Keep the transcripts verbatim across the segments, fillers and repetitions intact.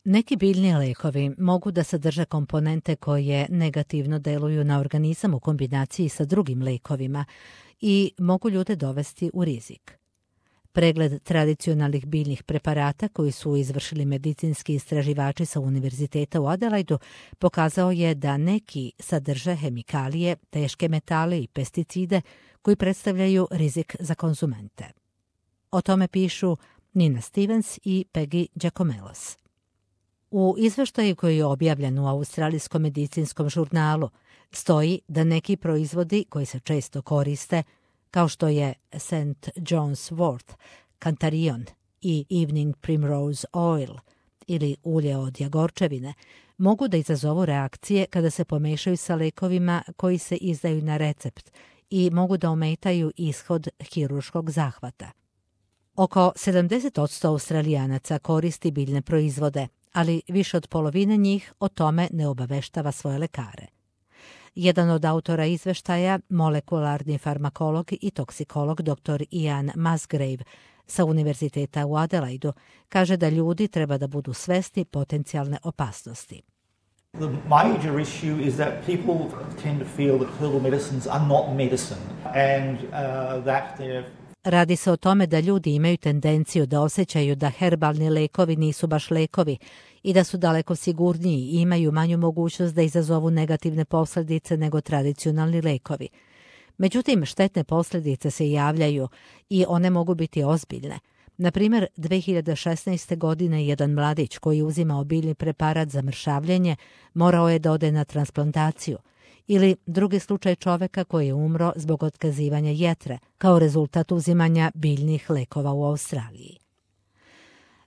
Neki biljni lekovi mogu da sadrže komponente koje negativno deluju na organizam u kombinaciji sa drugim lekovima i mogu ljude dovesti u rizik. Pregled tradicionalnih biljnih preparata koji su izvršili medicinski istraživači sa Univerziteta u Adelaidu pokazao je da neki sadrže hemikalije, teške metale i pesticide koji predstavljaju rizik za konzumente. O tome pišu Nina Stevens i Peggy Giacomelos. U izveštaju koji je objavljen u Australijskom medicinskom žurnalu stoji da neki proizvodi koji se često koriste, kao što je Saint John's wort, Cantarion i Evening Primrose Oil ili ulje od jagorčevine, mogu da izazovu reakcije kada se pomešaju sa lekovima koji se izdaju na recept i mogu da ometaju ishod hirurškog zahvata. Oko sedamdeset posto Australijanaca koristi biljne proizvode, ali više od polovine njih o tome ne obaveštava svoje lekare. Jedan od autora izveštaja, molekularni farmakolog i toksikolog dr Ian Musgrave sa Univerziteta u Adelaidu, kaže da ljudi treba da budu svesni potencijalne opasnosti. The major issue is that people tend to feel that herbal medicines are not medicine and uh, that they're Radi se o tome da ljudi imaju tendenciju da osjećaju da herbalni lekovi nisu baš lekovi i da su daleko sigurniji i imaju manju mogućnost da izazovu negativne posljedice nego tradicionalni lekovi. Međutim, štetne posljedice se javljaju i one mogu biti ozbiljne. Na primjer, dve hiljade šesnaeste. godine jedan mladić koji uzima biljni preparat za mršavljenje morao je da ode na transplantaciju. Ili drugi slučaj čoveka koji je umro zbog otkazivanja jetre kao rezultat uzimanja biljnih lekova u Australiji.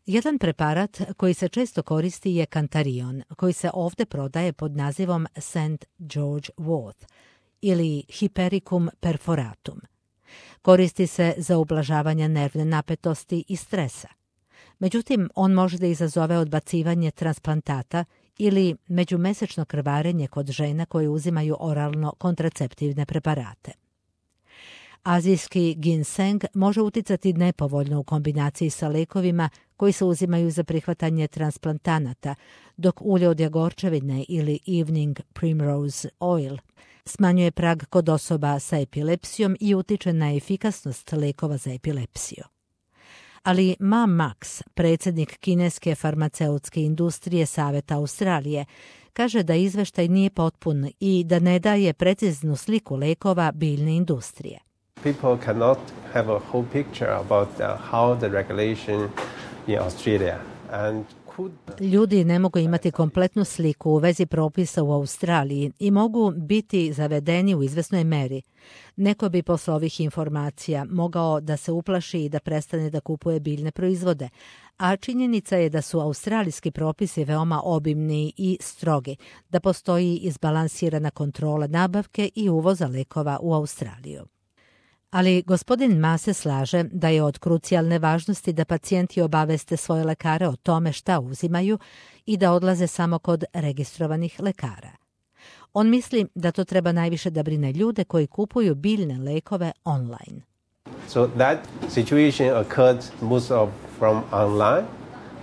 Jedan preparat koji se često koristi je Cantarion, koji se ovdje prodaje pod nazivom Saint George wort ili Hypericum perforatum. Koristi se za ublažavanje nervne napetosti i stresa. Međutim, on može da izazove odbacivanje transplantata ili međumesečno krvarenje kod žena koje uzimaju oralno kontraceptivne preparate. Azijski ginseng može uticati nepovoljno u kombinaciji sa lekovima koji se uzimaju za prihvatanje transplantanata, dok ulje od jagorčevine ili Evening Primrose Oil smanjuje prag kod osoba sa epilepsijom i utiče na efikasnost lekova za epilepsiju. Ali Ma Max, predsjednik kineske farmaceutske industrije Saveta Australije, kaže da izveštaj nije potpun i da ne daje preciznu sliku lekova biljne industrije. People cannot have a whole picture about uh, how the regulation in Australia and Ljudi ne mogu imati kompletnu sliku u vezi propisa u Australiji i mogu biti zavedeni u izvesnoj meri. Neko bi posle ovih informacija mogao da se uplaši i da prestane da kupuje biljne proizvode, a činjenica je da su australijski propisi veoma obimni i strogi, da postoji izbalansirana kontrola nabavke i uvoza lekova u Australiju. Ali gospodin Ma se slaže da je od krucijalne važnosti da pacijenti obaveste svoje lekare o tome šta uzimaju i da odlaze samo kod registrovanih lekara. On misli da to treba najviše da brine ljude koji kupuju biljne lekove online. So that situation occurred most of from online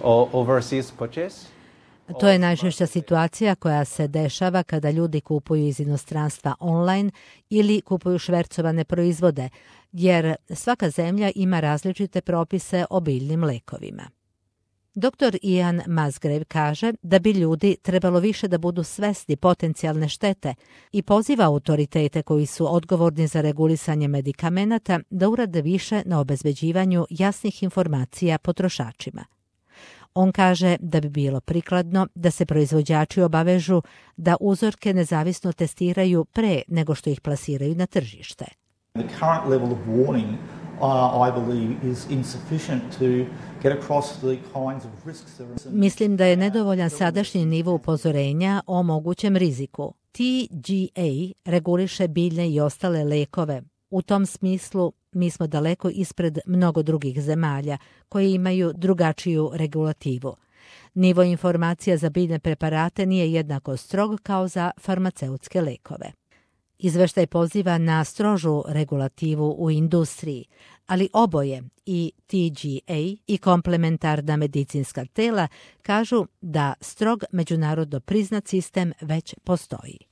or overseas purchase. To je najčešća situacija koja se dešava kada ljudi kupuju iz inostranstva online ili kupuju švercovane proizvode, jer svaka zemlja ima različite propise o biljnim lekovima. doktor Ian Musgrave kaže da bi ljudi trebalo više da budu svesni potencijalne štete i poziva autoritete koji su odgovorni za regulisanje medikamenata da urade više na obezbeđivanju jasnih informacija potrošačima. On kaže da bi bilo prikladno da se proizvođači obavežu da uzorke nezavisno testiraju pre nego što ih plasiraju na tržište. The current level of warning, uh, I believe, is insufficient to get across the kinds of risks that are... Mislim da je nedovoljan sadašnji nivo upozorenja o mogućem riziku. T G A reguliše biljne i ostale lekove. U tom smislu mi smo daleko ispred mnogo drugih zemalja koje imaju drugačiju regulativu. Nivo informacija za biljne preparate nije jednako strog kao za farmaceutske lekove. Izveštaj poziva na strožu regulativu u industriji, ali oboje, i T G A i komplementarna medicinska tela, kažu da strog međunarodno priznat sistem već postoji.